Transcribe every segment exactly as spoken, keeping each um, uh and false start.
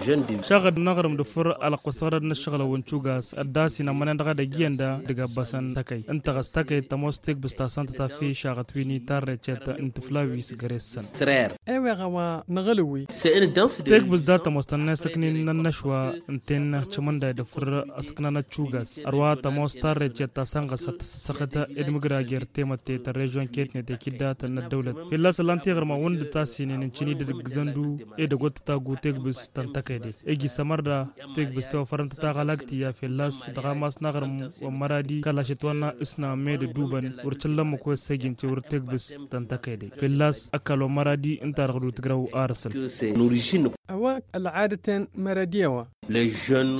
Šaɣăd n-aɣrǝm d-afǝr alăqqus ɣărăd n-ăššăɣǝlăn wăn cugas ăddasin ămmănen dăɣ-edăgg iyyăn da dăgg-abbăsăn tăkăy ǝnta ɣas tăkăy tămoos tegbǝst ta săn tătaffi šaɣăt wi n-itarre cet n-tǝfla wi s-găre-săn. Eweɣ a-wa năɣălwi. Tegbǝst da tămoos tănna isăknin n-ănnăšwa ǝnta-en cămănday d-afǝr ăsăknanăt cugas ărwa tămoos tarre cet ta săn ɣas ad-tăssăxăt edmǝgra jer-temătte tăr-režion ketnet ekiddatăn n-ăddăwlăt fălla-s ăllan tiɣrǝmăn wăn dd-tasinen ǝncǝni d-edăgg zăndu edăgg wăr tătagu tegbǝst ta n-tăkăyde egi s-ămărda tegbǝst ta ofărăn tătaɣălak tiya fălla-s dăɣ-amas n-aɣrǝm wa n-măradi kăla šătwănna ǝsna med ăddubăn wăr cǝllăn măkk wa s-ăjin cewăr tegbǝst ta n-tăkăyde fălla-s ăkall wa n-măradi ǝnta-dăɣ d-utǝgrăw arǝsăn. A-wa ălɣadăten măradi a-wa.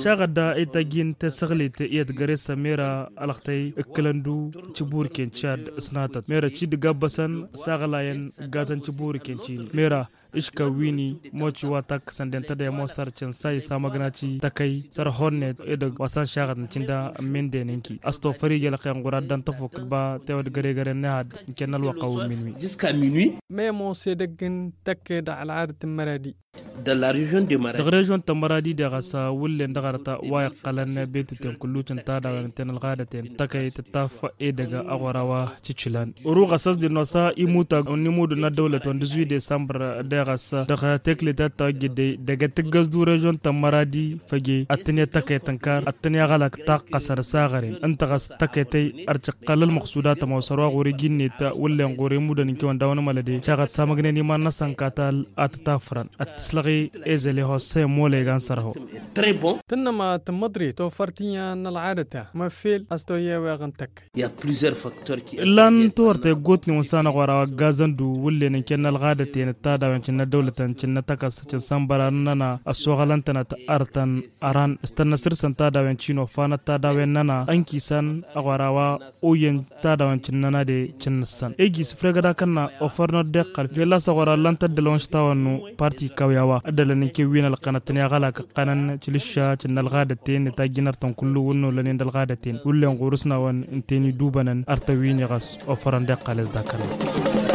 Šaɣădda i-tajjin tesăɣlit iyyăt găre-săn mera ălxătăy ǝkkǝlăn-du cǝburken cad ǝsnatăt mera ci dăgg-abbăsăn s-aɣlayăn ǝggatăn cǝburken cini mera ǝškăw wi-ni moci wa takkăsăn dentădăy ămoos sarcăn sa isamăgnaci tăkăy săr-honnet edăgg wa s-ănšaɣăt n-cǝnda n-menden ǝnki a-s tofăr ija ălqen ɣur-addăn tăfuk d-ba tewăd găre-găre n-ehăd n-kennăl wăqqa wǝmmin-wi. Măyămoos edăgg n-tăkke dăɣ-ălɣadăt n-măradi. Dăɣ-režion tămmăradi deɣ a-s wullen dăɣ-arăt wa iqqălăn betuten kullucăn tadawăn ǝnta-en ălɣadăten tăkăy tǝttaf edăgg aɣora wa cǝcǝlan. Oruɣ ăssăsdin n-osa imutag n-imudun n-ăddăwlăt wa n-dăzwi desambăr deɣ a-s dăɣ-tekle ta t-tawăjjăd dăgg-e tǝggăs d-urežion tămmăradi făje ad-tǝnǝya tăkăy tănkar ad-tǝnǝya ɣălak taqqăsăn s-aɣăren ǝnta ɣas tăkăy tăy ărcǝqqăl ălmăqsud a tămoos ărwa ɣur-iji-net wullen ɣur-imudăn n-kewăn dawăn mălăde caɣăt samăgnen iman-năsăn katal ad-tǝtafrăn ad-tǝslăɣ i-ezăl i-hossa i-molăygan săr-ho. Tǝnnăma tǝmmăḍrit tofărt iyyăn n-ălɣadăt-a măffel a-s toyyeweɣ n-tăkk. Ǝllan tiwărtăy ăggootnen wa n-sanăɣ wăr-a-wa ăggaazăn-du wullen ǝnken n-ălɣadăten d-tadawen cǝnna dăwlătăn cǝnna tăkăs cǝnsănbăran-nănăɣ ăssoɣălăn-tănăt ărtăn ăran s-tănnăsăr-săn tadawen cino fanăt tadawen-nănăɣ ănkisăn ăɣ wăr-a-wa oyyăn tadawen cǝnnăna de cǝnnǝssăn egi s-ifregăd akănna ofărnăt d-iqqăl fălla-s ăɣ wăr-a ǝllan-t ăddălăn wa n-aštaw ănnu parti kawya wa ăddălăn n-kewwin ălqănăt tǝnǝya ɣălak ǝqqănăn cǝlǝšša cǝnna ălɣadăten tajjǝnăr-tăn kullu wǝnnu lănen d-ălɣadăten wullen ɣur-s n-a-wăn ǝnta-en idubănăn ărtăn wi-ni ɣas ofărăn d-iqqăl-s d-akănna.